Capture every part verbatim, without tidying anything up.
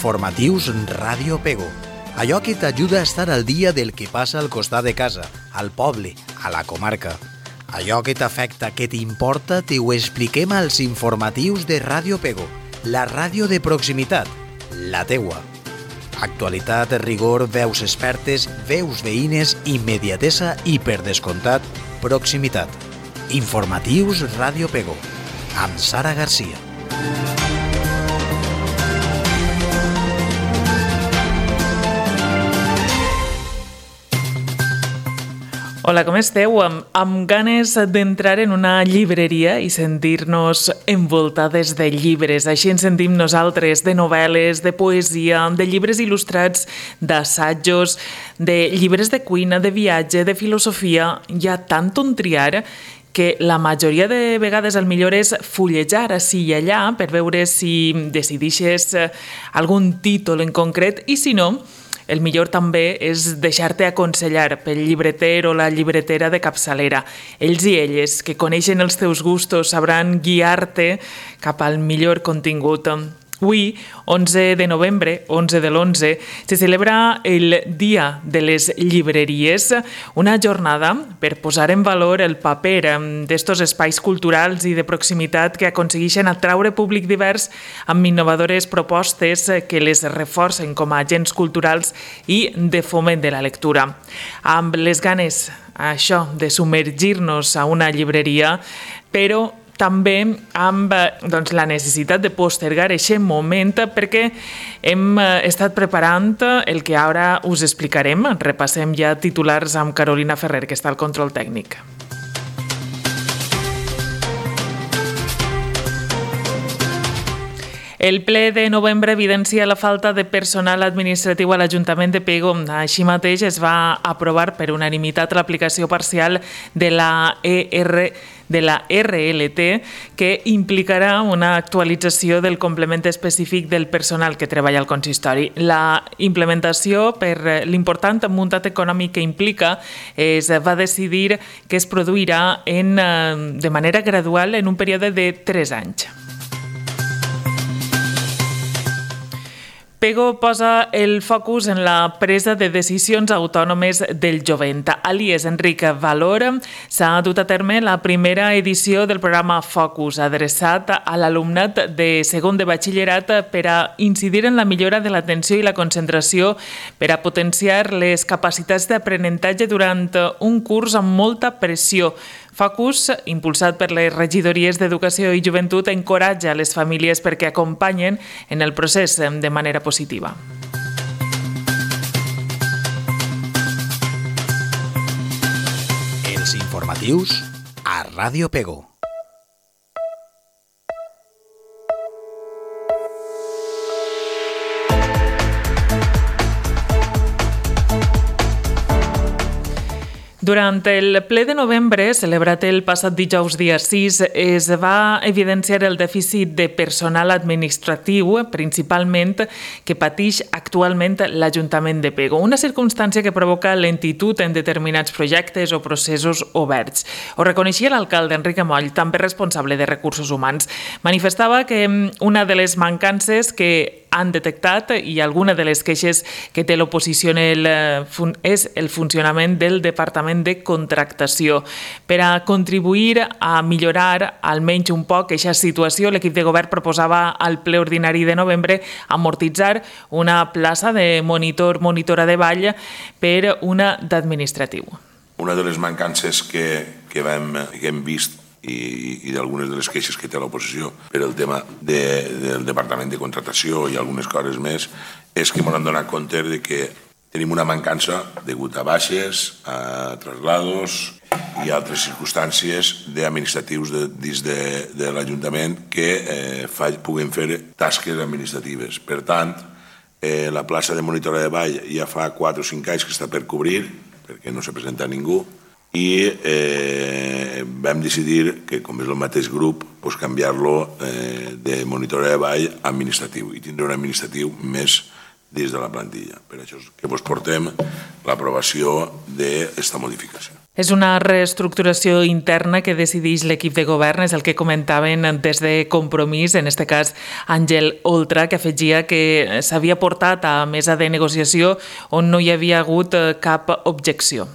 Informatius Ràdio Pego. Allò que t'ajuda a estar al dia del que passa al costat de casa, al poble, a la comarca. Allò que t'afecta, que t'importa, te ho expliquem als informatius de Ràdio Pego, la ràdio de proximitat, la teua. Actualitat, rigor, veus expertes, veus veïnes, immediatesa i, per descomptat, proximitat. Informatius Ràdio Pego, amb Sara Garcia. Hola, com esteu? Amb, amb ganes d'entrar en una llibreria i sentir-nos envoltades de llibres. Així ens sentim nosaltres, de novel·les, de poesia, de llibres il·lustrats, d'assajos, de llibres de cuina, de viatge, de filosofia. Hi ha tant on triar que la majoria de vegades el millor és fullejar ací i allà per veure si decidixes algun títol en concret i si no, el millor també és deixar-te aconsellar pel llibreter o la llibretera de capçalera. Ells i elles, que coneixen els teus gustos, sabran guiar-te cap al millor contingut. Avui, onze de novembre, onze de l'onze, se celebra el Dia de les Llibreries, una jornada per posar en valor el paper d'estos espais culturals i de proximitat que aconsegueixen atraure públic divers amb innovadores propostes que les reforcen com a agents culturals i de foment de la lectura. Amb les ganes, això, de submergir-nos a una llibreria, però també amb doncs, la necessitat de postergar aquest moment perquè hem estat preparant el que ara us explicarem. Repassem ja titulars amb Carolina Ferrer, que està al control tècnic. El ple de novembre evidencia la falta de personal administratiu a l'Ajuntament de Pego. Així mateix es va aprovar per unanimitat l'aplicació parcial de la E R de la R L T, que implicarà una actualització del complement específic del personal que treballa al consistori. La implementació, per l'important muntat econòmic que implica, es va decidir que es produirà en, de manera gradual en un període de tres anys. Pego posa el focus en la presa de decisions autònomes del jovent. A l'I E S Enric Valor s'ha dut a terme la primera edició del programa Focus, adreçat a l'alumnat de segon de batxillerat per a incidir en la millora de l'atenció i la concentració, per a potenciar les capacitats d'aprenentatge durant un curs amb molta pressió. Focus, impulsat per les regidories d'Educació i Joventut, encoratja les famílies perquè acompanyen en el procés de manera positiva. Els informatius a Ràdio Pego. Durant el ple de novembre, celebrat el passat dijous dia sis, es va evidenciar el dèficit de personal administratiu, principalment, que pateix actualment l'Ajuntament de Pego, una circumstància que provoca lentitud en determinats projectes o processos oberts. Ho reconeixia l'alcalde Enric Amoll, també responsable de Recursos Humans. Manifestava que una de les mancances que han detectat i alguna de les queixes que té l'oposició és el funcionament del Departament de Contractació. Per a contribuir a millorar almenys un poc aquesta situació, l'equip de govern proposava al ple ordinari de novembre amortitzar una plaça de monitor, monitora de ball per una d'administratiu. Una de les mancances que, que, vam, que hem vist i, i d'algunes de les queixes que té l'oposició per el tema de, del Departament de Contractació i algunes coses més és que ens hem donat compte de que tenim una mancança degut a baixes, a traslados i altres circumstàncies d'administratius de, dins de, de l'Ajuntament que eh, fa, puguin fer tasques administratives. Per tant, eh, la plaça de monitora de ball ja fa quatre o cinc anys que està per cobrir, perquè no se presenta ningú, i eh, vam decidir que, com és el mateix grup, pues, canviar-lo eh, de monitora de ball a administratiu i tindre un administratiu més dins de la plantilla. Per això és que vos portem l'aprovació d'aquesta modificació. És una reestructuració interna que decideix l'equip de govern, és el que comentaven des de Compromís, en aquest cas Àngel Oltra, que afegia que s'havia portat a mesa de negociació on no hi havia hagut cap objecció.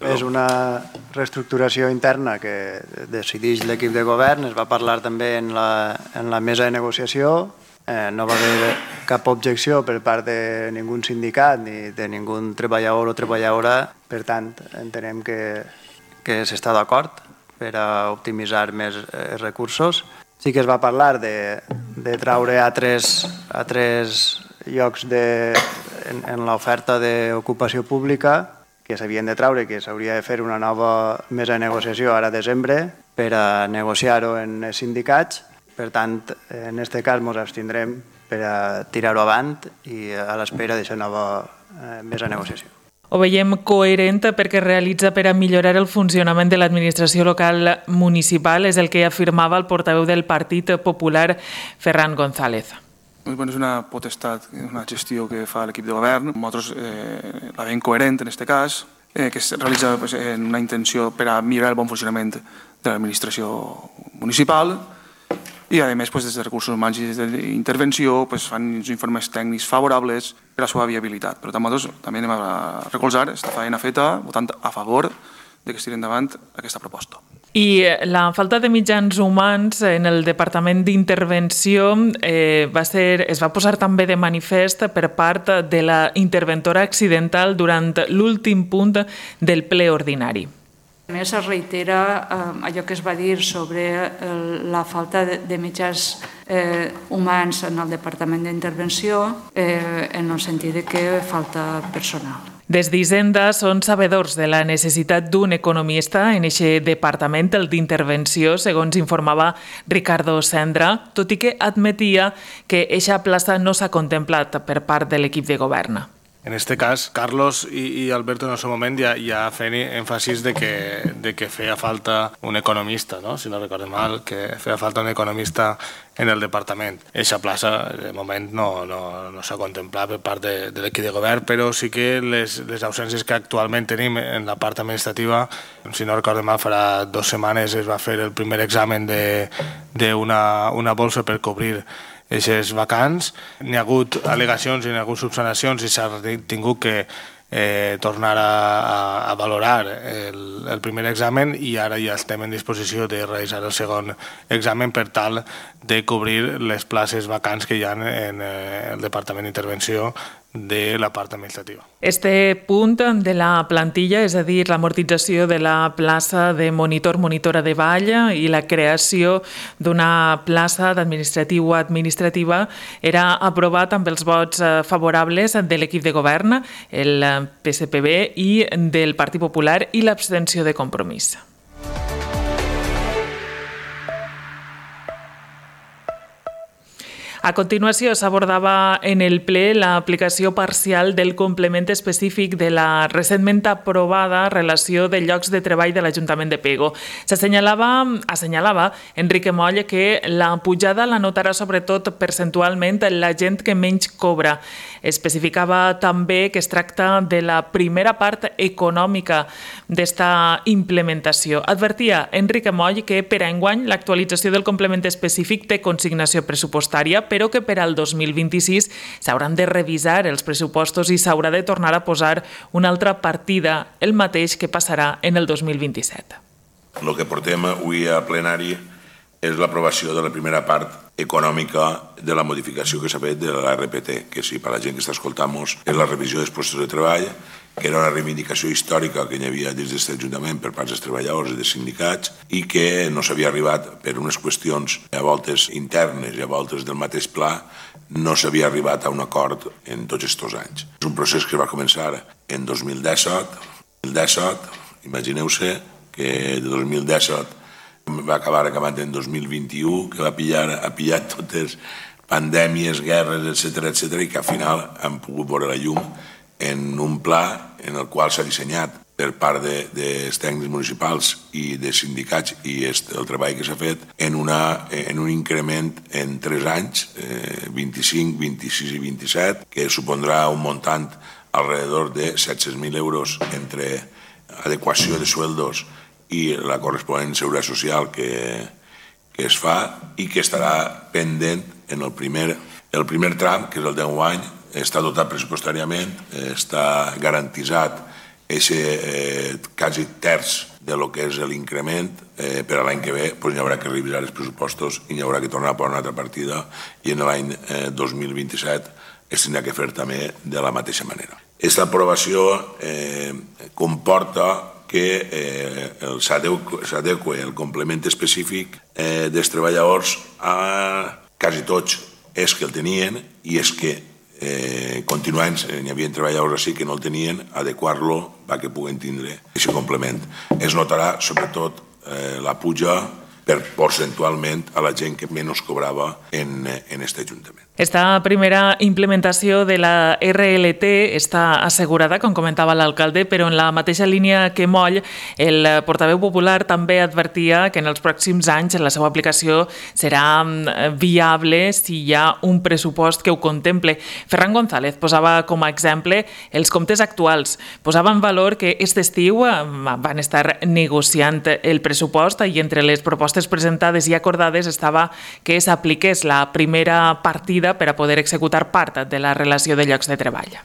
És una reestructuració interna que decideix l'equip de govern, es va parlar també en la, en la mesa de negociació, eh, no va haver cap objecció per part de ningú sindicat ni de ningú treballador o treballadora, per tant, entenem que, que s'està d'acord per a optimitzar més eh, recursos. Sí que es va parlar de, de traure a tres, a tres llocs de, en, en l'oferta d'ocupació pública que s'havien de traure, que s'hauria de fer una nova mesa de negociació ara a desembre per a negociar-ho en els sindicats. Per tant, en aquest cas ens abstindrem per a tirar-ho avant i a l'espera d'aquesta nova eh, mesa de negociació. Ho veiem coherent perquè realitza per a millorar el funcionament de l'administració local municipal, és el que afirmava el portaveu del Partit Popular, Ferran González. És una potestat, una gestió que fa l'equip de govern. Nosaltres eh, la veiem coherent en aquest cas, eh, que es realitza pues, en una intenció per a millorar el bon funcionament de l'administració municipal i, a més, pues, des de recursos humans i des d'intervenció pues, fan uns informes tècnics favorables per a la seva viabilitat. Però nosaltres també anem a recolzar aquesta feina feta votant a favor de que es tiri endavant aquesta proposta. I la falta de mitjans humans en el Departament d'Intervenció eh, va ser, es va posar també de manifest per part de la interventora accidental durant l'últim punt del ple ordinari. A més, es reitera eh, allò que es va dir sobre eh, la falta de, de mitjans eh, humans en el Departament d'Intervenció eh, en el sentit de que falta personal. Des d'Hisenda són sabedors de la necessitat d'un economista en aquest departament, el d'Intervenció, segons informava Ricardo Sendra, tot i que admetia que eixa plaça no s'ha contemplat per part de l'equip de govern. En este cas, Carlos i, i Alberto en el seu moment ja, ja feien èmfasis de que, de que feia falta un economista, no? Si no recordo mal, que feia falta un economista en el departament. Eixa plaça, de moment, no, no, no s'ha contemplat per part de, de l'equip de govern, però sí que les, les ausències que actualment tenim en la part administrativa, si no recordo mal, farà dues setmanes es va fer el primer examen d'una una bolsa per cobrir aquestes vacants. N'hi ha hagut al·legacions i n'hi ha hagut subsanacions i s'ha tingut que eh, tornar a, a, a valorar el, el primer examen i ara ja estem en disposició de realitzar el segon examen per tal de cobrir les places vacants que hi ha en eh, el Departament d'Intervenció de la part administrativa. Este punt de la plantilla, és a dir, l'amortització de la plaça de monitor-monitora de ball i la creació d'una plaça d'administratiu o administrativa, era aprovat amb els vots favorables de l'equip de govern, el P S P B i del Partit Popular i l'abstenció de Compromís. A continuació, s'abordava en el ple l'aplicació parcial del complement específic de la recentment aprovada relació de llocs de treball de l'Ajuntament de Pego. S'assenyalava, assenyalava Enrique Moll que la pujada la notarà sobretot percentualment la gent que menys cobra. Especificava també que es tracta de la primera part econòmica d'esta implementació. Advertia Enrique Moll que per a enguany l'actualització del complement específic té consignació pressupostària, però que per al dos mil vint-i-sis s'hauran de revisar els pressupostos i s'haurà de tornar a posar una altra partida, el mateix que passarà en el dos mil vint-i-set. El que portem avui a plenari és l'aprovació de la primera part econòmica de la modificació que s'ha fet de l'R P T, que si per la gent que està escoltant-nos és la revisió dels postos de treball, que era una reivindicació històrica que hi havia dins d'aquest Ajuntament per part dels treballadors i dels sindicats i que no s'havia arribat per unes qüestions a voltes internes i a voltes del mateix pla, no s'havia arribat a un acord en tots aquests anys. És un procés que va començar en dos mil disset, dos mil disset, imagineu-se que de dos mil disset va acabar acabant en dos mil vint-i-u, que va pillar, ha pillat totes pandèmies, guerres, etcètera, etcètera, i que al final han pogut veure la llum en un pla en el qual s'ha dissenyat per part de, dels tècnics municipals i dels sindicats i el treball que s'ha fet en, una, en un increment en tres anys, eh, vint-i-cinc, vint-i-sis i vint-i-set, que supondrà un muntant alrededor de set-cents mil euros entre adequació de sueldos i la corresponent seguretat social que, que es fa i que estarà pendent en el primer, el primer tram, que és el deu any, està dotat pressupostàriament, està garantitzat aquest eh, quasi terç de lo que és l'increment, eh, per a l'any que ve pues, hi haurà que revisar els pressupostos i hi haurà que tornar a posar una altra partida i en l'any eh, dos mil vint-i-set es tindrà que fer també de la mateixa manera. Aquesta aprovació eh, comporta que eh, s'adequa el complement específic eh, dels treballadors a quasi tots és que el tenien i és que eh, continuant, n'hi havia treballadors així que no el tenien, adequar-lo perquè puguen tindre aquest complement. Es notarà sobretot eh, la puja per percentualment a la gent que menys cobrava en, en aquest Ajuntament. Esta primera implementació de la R L T està assegurada, com comentava l'alcalde, però en la mateixa línia que Moll, el portaveu popular també advertia que en els pròxims anys la seva aplicació serà viable si hi ha un pressupost que ho contemple. Ferran González posava com a exemple els comptes actuals. Posava en valor que aquest estiu van estar negociant el pressupost i entre les propostes presentades i acordades estava que s'apliqués la primera partida per a poder executar part de la relació de llocs de treball.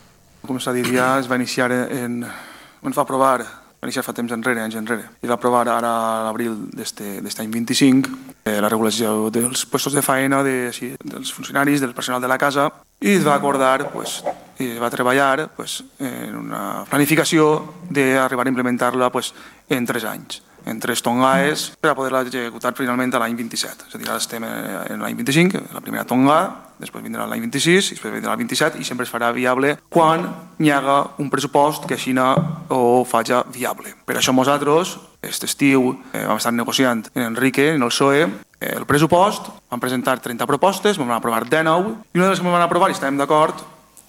Com s'ha dit ja, es va iniciar en... ens va aprovar, va iniciar fa temps enrere, anys enrere, i va aprovar ara a l'abril d'aquest any vint-i-cinc la regulació dels puestos de faena de, sí, dels funcionaris, del personal de la casa, i es va acordar, pues, i es va treballar pues, en una planificació d'arribar a implementar-la pues, en tres anys. En tres tongaes per a poder-la executar finalment a l'any vint-i-set. És a dir, ara estem en l'any vint-i-cinc, la primera tonga, després vindrà l'any vint-i-sis, després vindrà l'any vint-i-set i sempre es farà viable quan hi haga un pressupost que així ho faci viable. Per això nosaltres, aquest estiu, eh, vam estar negociant en Enrique, en el P S O E, el pressupost, vam presentar trenta propostes, vam aprovar dinou, i una de les que vam aprovar i estàvem d'acord,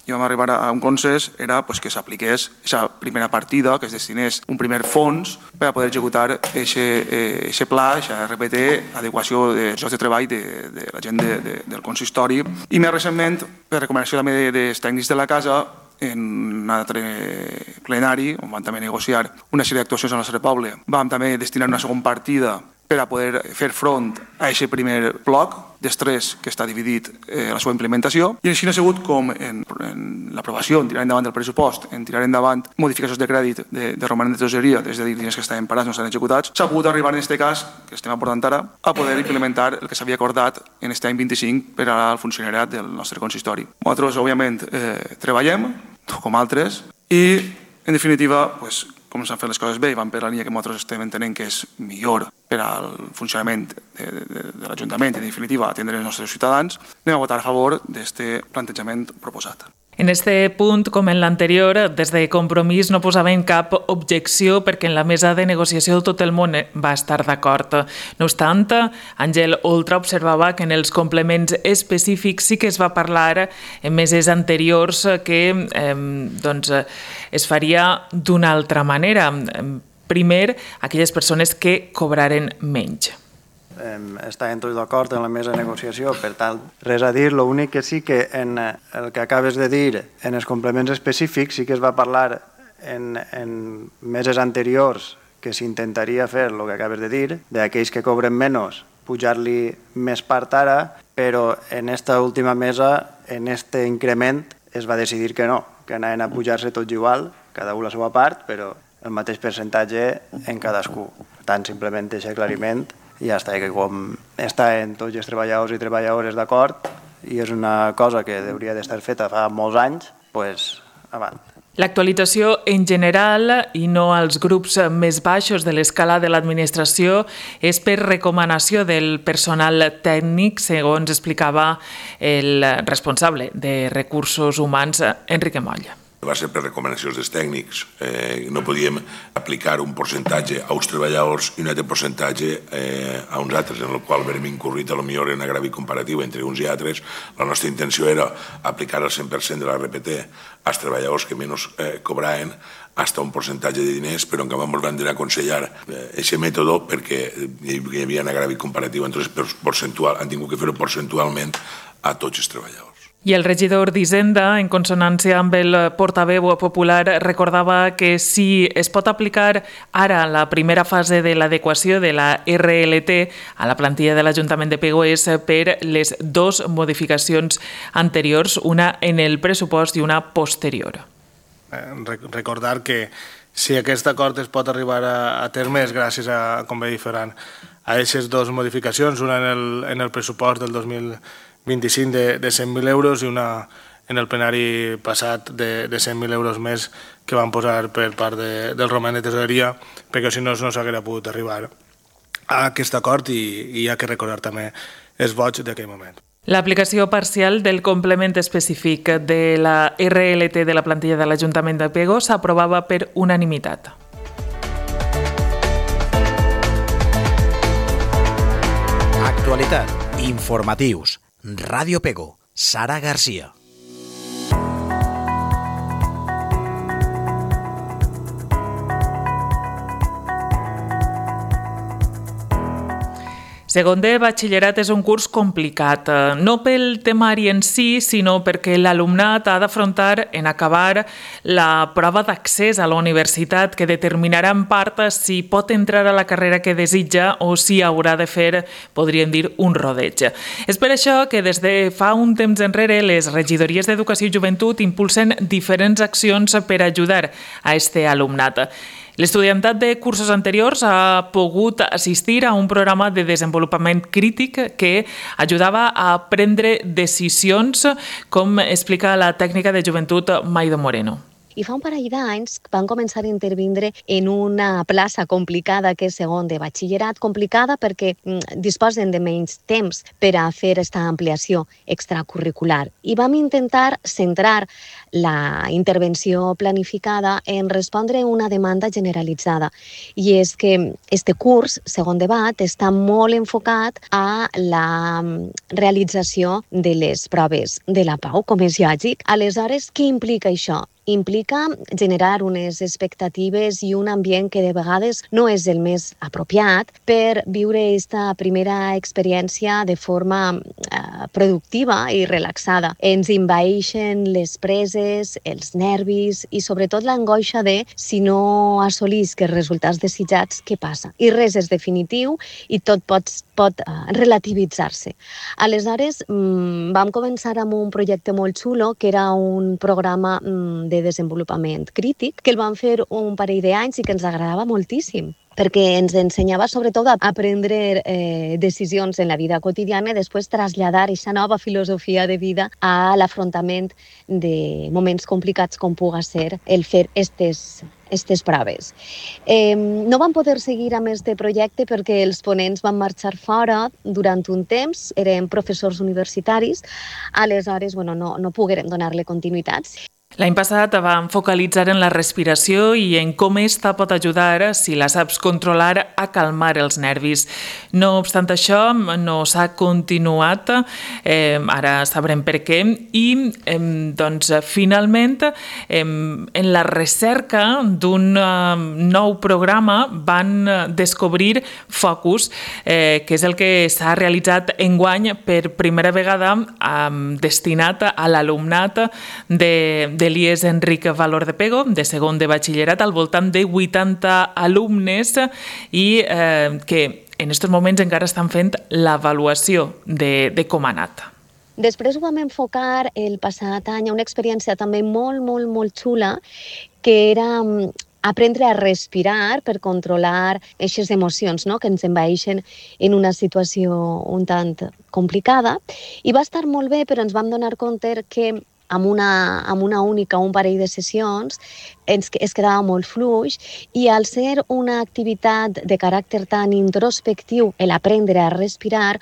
i vam arribar a un consens, era pues, que s'apliqués aquesta primera partida, que es destinés un primer fons per a poder executar aquest eh, pla, aquesta R P T, adequació de llocs de treball de, de la gent de, de, del consistori. I més recentment, per recomanació també dels tècnics de la casa, en un altre plenari, on vam també negociar una sèrie d'actuacions al nostre poble, vam també destinar una segona partida per a poder fer front a aquest primer bloc d'estrès que està dividit eh, la seva implementació. I així ha sigut com en, en l'aprovació, en tirar endavant del pressupost, en tirar endavant modificacions de crèdit de, de romanent de tresoreria, és a dir, diners que estaven parats no estan executats, s'ha pogut arribar en aquest cas, que estem aportant ara, a poder implementar el que s'havia acordat en aquest any vint-i-cinc per al funcionariat del nostre consistori. Nosaltres, òbviament, eh, treballem, com altres, i, en definitiva, pues, com s'han fet les coses bé i van per la línia que nosaltres estem entenent que és millor per al funcionament de, de, de l'Ajuntament i, en definitiva, atendre els nostres ciutadans, anem a votar a favor d'aquest plantejament proposat. En este punt, com en l'anterior, des de Compromís no posaven cap objecció perquè en la mesa de negociació tot el món va estar d'acord. No obstant, Àngel Oltra observava que en els complements específics sí que es va parlar en meses anteriors que eh, doncs, es faria d'una altra manera. Primer, aquelles persones que cobraren menys. Estàvem tots d'acord en la mesa de negociació, per tant, res a dir. L'únic que sí que en el que acabes de dir, en els complements específics, sí que es va parlar en, en meses anteriors que s'intentaria fer el que acabes de dir, d'aquells que cobren menys, pujar-li més part ara, però en esta última mesa, en este increment, es va decidir que no, que anaven a pujar-se tots igual, cada un la seva part, però el mateix percentatge en cadascú. Per tant, simplement aquest aclariment i ja està, que com estan tots els treballadors i treballadores d'acord i és una cosa que hauria d'estar feta fa molts anys, doncs avant. L'actualització en general i no als grups més baixos de l'escala de l'administració és per recomanació del personal tècnic, segons explicava el responsable de recursos humans, Enrique Moll. Va ser per recomanacions dels tècnics. Eh, no podíem aplicar un percentatge a uns treballadors i un altre percentatge eh, a uns altres, en el qual vam incurrit a lo millor en agravi comparatiu entre uns i altres. La nostra intenció era aplicar el cent per cent de la R P T als treballadors que menys eh, cobraven fins un percentatge de diners, però en canvi ens van aconsellar aquest eh, mètode perquè hi havia un agravi comparatiu, entonces percentual, han tingut que fer-ho percentualment a tots els treballadors. I el regidor d'Hisenda, en consonància amb el portaveu popular, recordava que si es pot aplicar ara la primera fase de l'adequació de la R L T a la plantilla de l'Ajuntament de Pego és per les dues modificacions anteriors, una en el pressupost i una posterior. Recordar que si aquest acord es pot arribar a, a terme és gràcies a, com bé dir Ferran, a aquestes dues modificacions, una en el, en el pressupost del dos mil vint-i-cinc de, de cent mil euros i una en el plenari passat de, de cent mil euros més que van posar per part de, del roman de tesoreria, perquè si no no s'hauria pogut arribar a aquest acord i, i hi ha que recordar també els vots d'aquell moment. L'aplicació parcial del complement específic de la R L T de la plantilla de l'Ajuntament de Pego s'aprovava per unanimitat. Actualitat, informatius, Ràdio Pego, Sara Garcia. Segon de batxillerat és un curs complicat, no pel temari en si, sinó perquè l'alumnat ha d'afrontar en acabar la prova d'accés a la universitat que determinarà en part si pot entrar a la carrera que desitja o si haurà de fer, podríem dir, un rodeig. És per això que des de fa un temps enrere les regidories d'Educació i Joventut impulsen diferents accions per ajudar a este alumnat. L'estudiantat de cursos anteriors ha pogut assistir a un programa de desenvolupament crític que ajudava a prendre decisions, com explica la tècnica de joventut Maido Moreno. I fa un parell d'anys van començar a intervindre en una plaça complicada que és segon de batxillerat, complicada perquè disposen de menys temps per a fer aquesta ampliació extracurricular. I vam intentar centrar la intervenció planificada en respondre a una demanda generalitzada. I és que este curs, segon de bat, està molt enfocat a la realització de les proves de la Pau, com és lògic. Aleshores, què implica això? Implica generar unes expectatives i un ambient que de vegades no és el més apropiat per viure aquesta primera experiència de forma eh, productiva i relaxada. Ens envaeixen les preses, els nervis i sobretot l'angoixa de si no assolisc els resultats desitjats, què passa? I res és definitiu i tot pot, pot eh, relativitzar-se. Aleshores, mmm, vam començar amb un projecte molt xulo que era un programa mmm, de de desenvolupament crític, que el vam fer un parell d'anys i que ens agradava moltíssim, perquè ens ensenyava sobretot a prendre eh, decisions en la vida quotidiana i després traslladar aquesta nova filosofia de vida a l'afrontament de moments complicats com puga ser el fer estes aquestes proves. Eh, no vam poder seguir amb aquest projecte perquè els ponents van marxar fora durant un temps, eren professors universitaris, aleshores bueno, no, no poguérem donar-li continuïtat. L'any passat vam focalitzar en la respiració i en com esta pot ajudar, si la saps controlar, a calmar els nervis. No obstant això, no s'ha continuat, eh, ara sabrem per què, i eh, doncs, finalment, eh, en la recerca d'un eh, nou programa van descobrir Focus, eh, que és el que s'ha realitzat enguany per primera vegada eh, destinat a l'alumnat de de l'I E S Enric Valor de Pego, de segon de batxillerat, al voltant de vuitanta alumnes i eh, que en aquests moments encara estan fent l'avaluació de, de com ha anat. Després ho vam enfocar el passat any a una experiència també molt, molt, molt xula, que era aprendre a respirar per controlar aquestes emocions, no?, que ens envaeixen en una situació un tant complicada. I va estar molt bé, però ens vam donar compte que amb una, amb una única, un parell de sessions, ens, es quedava molt fluix i al ser una activitat de caràcter tan introspectiu, el aprendre a respirar,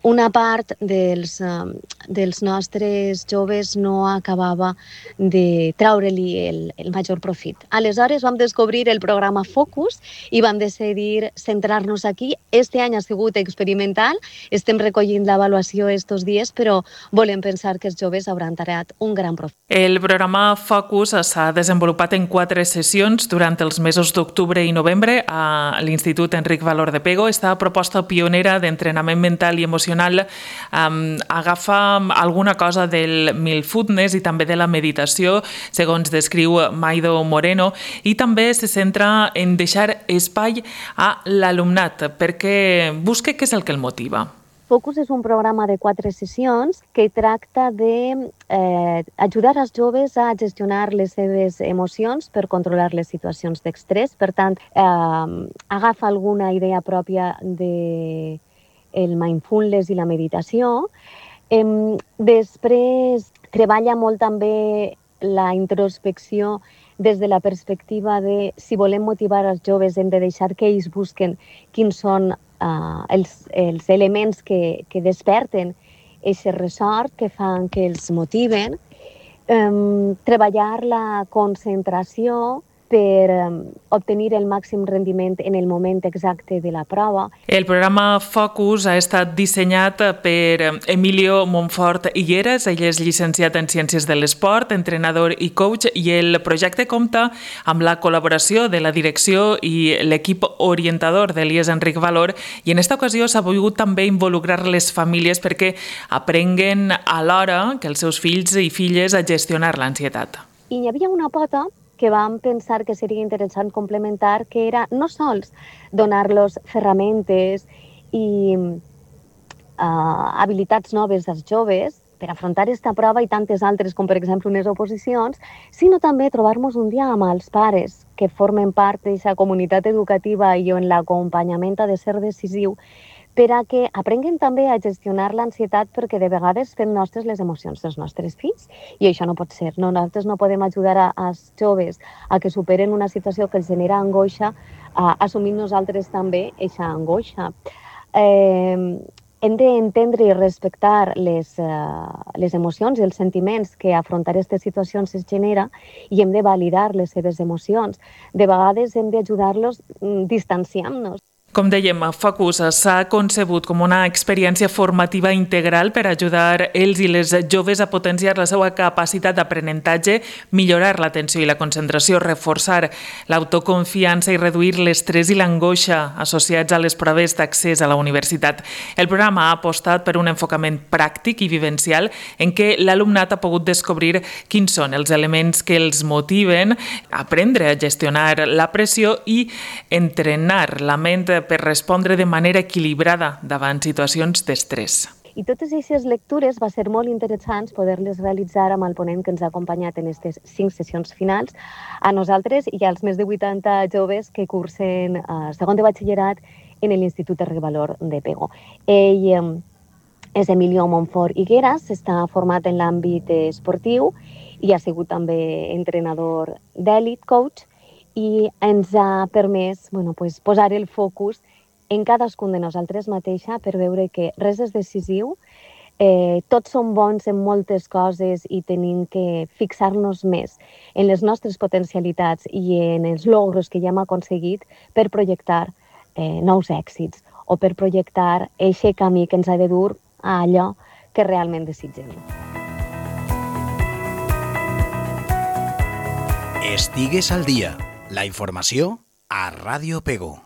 una part dels, uh, dels nostres joves no acabava de treure-li el, el major profit. Aleshores vam descobrir el programa Focus i vam decidir centrar-nos aquí. Este any ha sigut experimental, estem recollint l'avaluació estos dies, però volem pensar que els joves hauran tarat un gran profit. El programa Focus s'ha desenvolupat en quatre sessions durant els mesos d'octubre i novembre a l'Institut Enric Valor de Pego. Esta proposta pionera d'entrenament mental i emocional um, agafa alguna cosa del mindfulness i també de la meditació, segons descriu Maido Moreno, i també se centra en deixar espai a l'alumnat perquè busque què és el que el motiva. Focus és un programa de quatre sessions que tracta de eh, ajudar els joves a gestionar les seves emocions per controlar les situacions d'estrès. Per tant, eh, agafa alguna idea pròpia de el mindfulness i la meditació. Eh, després, treballa molt també la introspecció des de la perspectiva de si volem motivar els joves hem de deixar que ells busquen quins són Uh, els, els elements que, que desperten aquest ressort, que fan que els motiven, um, treballar la concentració per um, obtenir el màxim rendiment en el moment exacte de la prova. El programa Focus ha estat dissenyat per Emilio Monfort Higueras. Ell és llicenciat en Ciències de l'Esport, entrenador i coach, i el projecte compta amb la col·laboració de la direcció i l'equip orientador de l'I E S Enric Valor, i en aquesta ocasió s'ha volgut també involucrar les famílies perquè aprenguen alhora que els seus fills i filles a gestionar l'ansietat. I hi havia una pota que vam pensar que seria interessant complementar, que era no sols donar-los ferramentes i uh, habilitats noves als joves per afrontar aquesta prova i tantes altres, com per exemple unes oposicions, sinó també trobar-nos un dia amb els pares que formen part d'aquesta comunitat educativa i on l'acompanyament ha de ser decisiu, per a que aprenguen també a gestionar l'ansietat, perquè de vegades fem nostres les emocions dels nostres fills i això no pot ser. No? Nosaltres no podem ajudar als joves a que superen una situació que els genera angoixa, a assumir nosaltres també aquesta angoixa. Eh, hem d'entendre i respectar les, uh, les emocions i els sentiments que afrontar aquestes situacions es genera i hem de validar les seves emocions. De vegades hem d'ajudar-los distanciant-nos. Com dèiem, Focus s'ha concebut com una experiència formativa integral per ajudar els i les joves a potenciar la seva capacitat d'aprenentatge, millorar l'atenció i la concentració, reforçar l'autoconfiança i reduir l'estrès i l'angoixa associats a les proves d'accés a la universitat. El programa ha apostat per un enfocament pràctic i vivencial en què l'alumnat ha pogut descobrir quins són els elements que els motiven, aprendre a gestionar la pressió i entrenar la ment per respondre de manera equilibrada davant situacions d'estrès. I totes aquestes lectures va ser molt interessants poder-les realitzar amb el ponent que ens ha acompanyat en aquestes cinc sessions finals, a nosaltres i als més de vuitanta joves que cursen eh, segon de batxillerat en l'Institut Enric Valor de Pego. Ell eh, és Emilio Monfort Higueras, està format en l'àmbit esportiu i ha sigut també entrenador d'èlit, coach, i ens ha permès bueno, pues, posar el focus en cadascun de nosaltres mateixa per veure que res és decisiu, eh, tots som bons en moltes coses i tenim que fixar-nos més en les nostres potencialitats i en els logros que ja hem aconseguit per projectar eh, nous èxits o per projectar aquest camí que ens ha de dur a allò que realment desitgem. Estigues al dia. La informació a Ràdio Pego.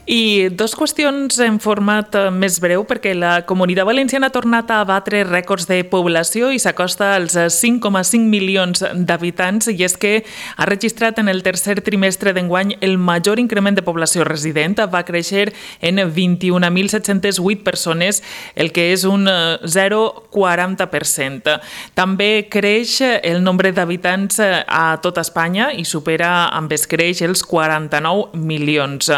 I dos qüestions en format més breu, perquè la Comunitat Valenciana ha tornat a batre rècords de població i s'acosta als cinc coma cinc milions d'habitants, i és que ha registrat en el tercer trimestre d'enguany el major increment de població resident. Va créixer en vint-i-un mil set-cents vuit persones, el que és un zero coma quaranta per cent. També creix el nombre d'habitants a tot Espanya i supera amb escreix els quaranta-nou milions.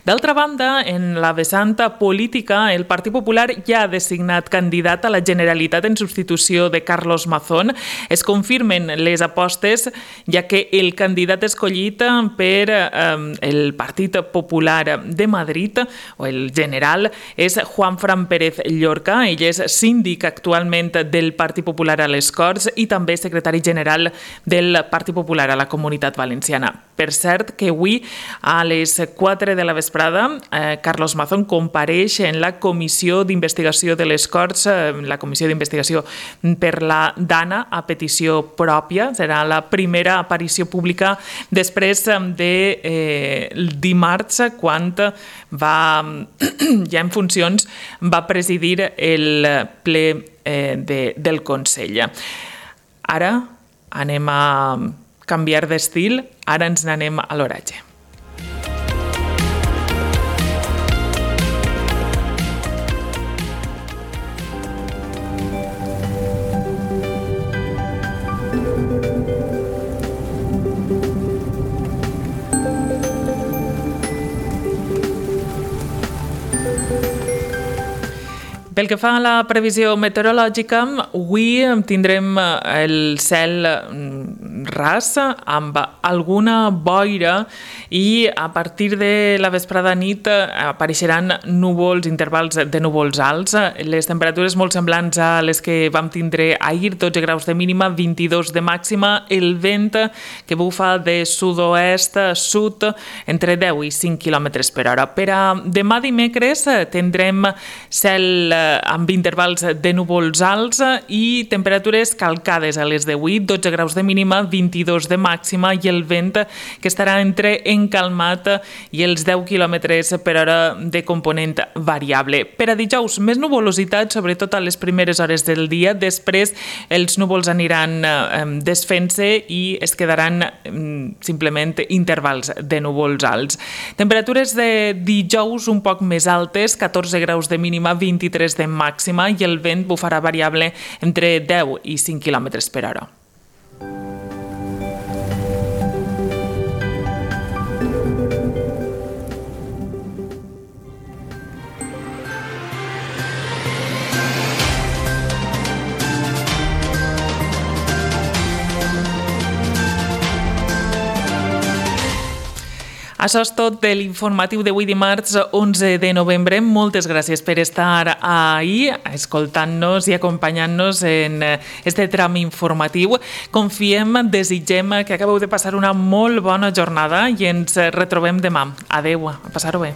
D'altra banda, banda, en la vessant política, el Partit Popular ja ha designat candidat a la Generalitat en substitució de Carlos Mazón. Es confirmen les apostes, ja que el candidat escollit per eh, el Partit Popular de Madrid, o el general, és Juanfran Pérez Llorca. Ell és síndic actualment del Partit Popular a les Corts i també secretari general del Partit Popular a la Comunitat Valenciana. Per cert, que avui a les quatre de la vesprada eh, Carlos Mazón compareix en la Comissió d'Investigació de les Corts, eh, la Comissió d'Investigació per la Dana, a petició pròpia. Serà la primera aparició pública després de eh, dimarts, quan va, ja en funcions, va presidir el ple eh, de, del Consell. Ara anem a canviar d'estil, ara ens n'anem a l'oratge. Pel que fa a la previsió meteorològica, avui tindrem el cel ras amb alguna boira i a partir de la vesprada nit apareixeran núvols, intervals de núvols alts. Les temperatures molt semblants a les que vam tindre ahir, dotze graus de mínima, vint-i-dos de màxima. El vent que bufa de sud-oest a sud entre deu i cinc quilòmetres per hora. Per a demà dimecres tindrem cel amb intervals de núvols alts i temperatures calcades a les d'avui, dotze graus de mínima, vint-i-dos de màxima, i el vent que estarà entre encalmat i els deu quilòmetres per hora de component variable. Per a dijous, més nuvolositat, sobretot a les primeres hores del dia. Després els núvols aniran desfent-se i es quedaran simplement intervals de núvols alts. Temperatures de dijous un poc més altes, catorze graus de mínima, vint-i-tres de màxima, i el vent bufarà variable entre deu i cinc quilòmetres per hora. Això és tot de l'informatiu d'avui dimarts onze de novembre. Moltes gràcies per estar ahí, escoltant-nos i acompanyant-nos en este tram informatiu. Confiem, desitgem que acabeu de passar una molt bona jornada i ens retrobem demà. Adeu, a passar-ho bé.